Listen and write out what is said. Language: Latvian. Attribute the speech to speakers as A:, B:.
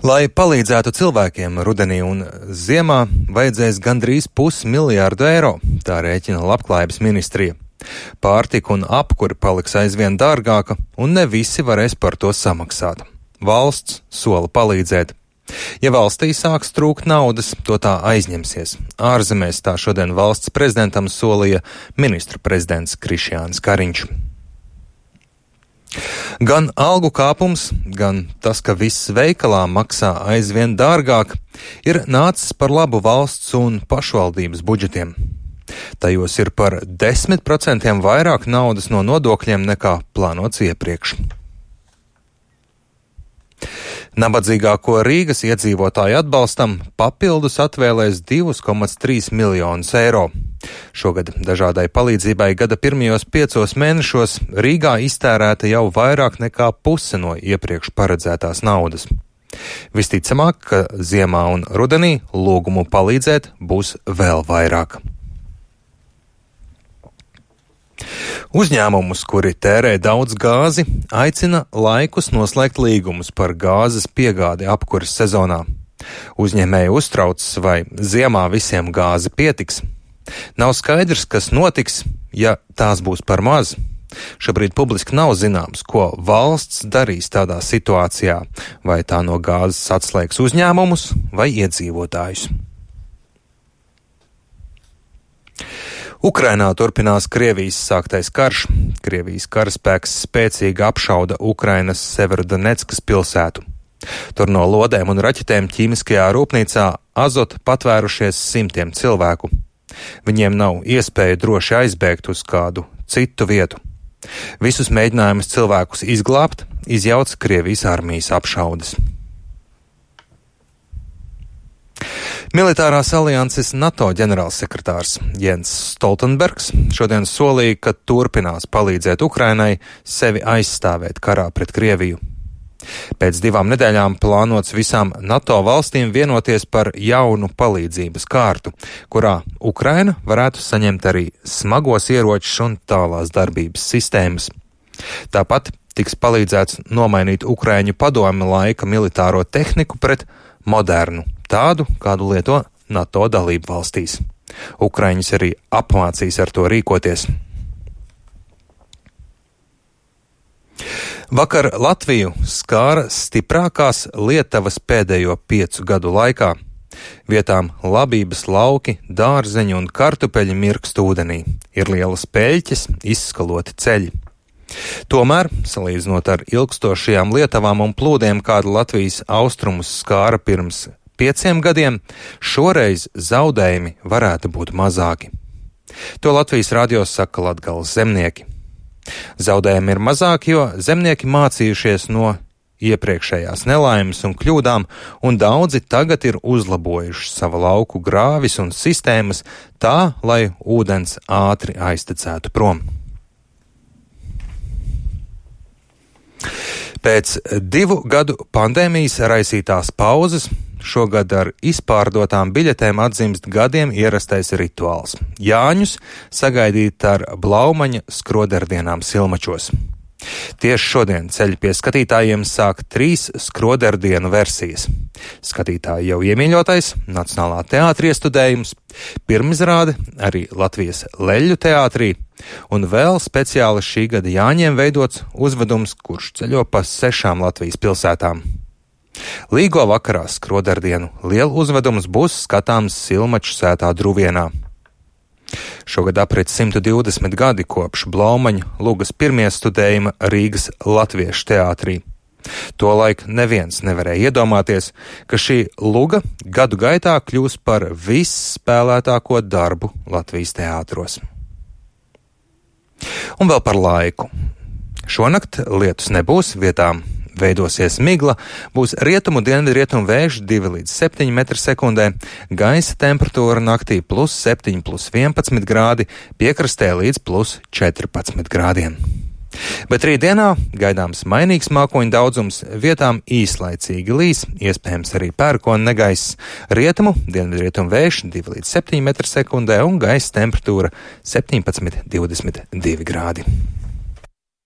A: Lai palīdzētu cilvēkiem rudenī un ziemā, vajadzēs gandrīz 500 miljārdu eiro, tā rēķina Labklājības ministrija. Pārtika un apkuri paliks aizvien dārgāka, un ne visi varēs par to samaksāt. Valsts sola palīdzēt. Ja valstī sāks trūkt naudas, to tā aizņemsies. Ārzemēs tā šodien valsts prezidentam solīja ministru prezidents Krišjānis Kariņš. Gan algu kāpums, gan tas, ka viss veikalā maksā aizvien dārgāk, ir nācis par labu valsts un pašvaldības budžetiem. Tajos ir par 10% vairāk naudas no nodokļiem nekā plānots iepriekš. Nabadzīgāko Rīgas iedzīvotāju atbalstam papildus atvēlēs 2,3 miljonus eiro. Šogad dažādai palīdzībai gada pirmajos 5 mēnešos Rīgā iztērēta jau vairāk nekā puse no iepriekš paredzētās naudas. Visticamāk, ka ziemā un rudenī lūgumu palīdzēt būs vēl vairāk. Uzņēmumus, kuri tērē daudz gāzi, aicina laikus noslēgt līgumus par gāzes piegādi apkures sezonā. Uzņēmēji uztraucas, vai ziemā visiem gāzi pietiks. Nav skaidrs, kas notiks, ja tās būs par maz. Šobrīd publiski nav zināms, ko valsts darīs tādā situācijā, vai tā no gāzes atslēgs uzņēmumus vai iedzīvotājus. Ukrainā turpinās Krievijas sāktais karš. Krievijas karaspēks spēcīgi apšauda Ukrainas Severodoneckas pilsētu. Tur no lodēm un raķetēm ķīmiskajā rūpnīcā Azot patvērušies simtiem cilvēku. Viņiem nav iespēja droši aizbēgt uz kādu citu vietu. Visus mēģinājumus cilvēkus izglābt izjauc Krievijas armijas apšaudes. Militārās alianses NATO ģenerālsekretārs Jens Stoltenbergs šodien solīja, ka turpinās palīdzēt Ukrainai sevi aizstāvēt karā pret Krieviju. Pēc 2 nedēļām plānots visām NATO valstīm vienoties par jaunu palīdzības kārtu, kurā Ukraina varētu saņemt arī smagos ieročus un tālās darbības sistēmas. Tāpat tiks palīdzēts nomainīt Ukraiņu padomi laika militāro tehniku pret modernu, tādu, kādu lieto NATO dalību valstīs. Ukraiņus arī apmācīs ar to rīkoties. Vakar Latviju skāra stiprākās Lietavas pēdējo 5 gadu laikā. Vietām labības lauki, dārzeņi un kartupeļi mirkst ūdenī. Ir lielas peļķes, izskaloti ceļi. Tomēr, salīdzinot ar ilgstošajām lietavām un plūdiem, kāda Latvijas austrumus skāra pirms 5 gadiem, šoreiz zaudējumi varētu būt mazāki. To Latvijas radio saka Latgales zemnieki. Zaudējumi ir mazāki, jo zemnieki mācījušies no iepriekšējās nelaimes un kļūdām, un daudzi tagad ir uzlabojuši savu lauku grāvis un sistēmas tā, lai ūdens ātri aiztecētu prom. Pēc 2 gadu pandēmijas raisītās pauzes šogad ar izpārdotām biļetēm atzimst gadiem ierastais rituāls – Jāņus sagaidīt ar Blaumaņa skroderdienām Silmačos. Tieši šodien ceļu pie skatītājiem sāk 3 skroderdienu versijas. Skatītāji jau iemīļotais Nacionālā teātra iestudējums, pirmizrāde arī Latvijas Leļļu teātrī un vēl speciāli šī gada Jāņiem veidots uzvedums, kurš ceļo pa 6 Latvijas pilsētām. Līgo vakarā skroderdienu lielu uzvedums būs skatāms Silmaču sētā Druvienā. Šogad aprit 120 gadi kopš Blaumaņa lugas pirmie studējuma Rīgas Latviešu teātrī. Tolaik neviens nevarēja iedomāties, ka šī luga gadu gaitā kļūs par visspēlētāko darbu Latvijas teātros. Un vēl par laiku. Šonakt lietus nebūs, vietām veidosies migla, būs rietumu dienvidrietumu vējš 2 līdz 7 m/sekundē, gaisa temperatūra naktī +7, +11 grādi, piekrastē līdz +14 grādiem. Bet rītdienā gaidāms mainīgs mākoņu daudzums, vietām īslaicīgi līs, iespējams arī pērkona negaiss, rietumu dienvidrietumu vējš 2 līdz 7 m/sekundē un gaisa temperatūra 17–22 grādi.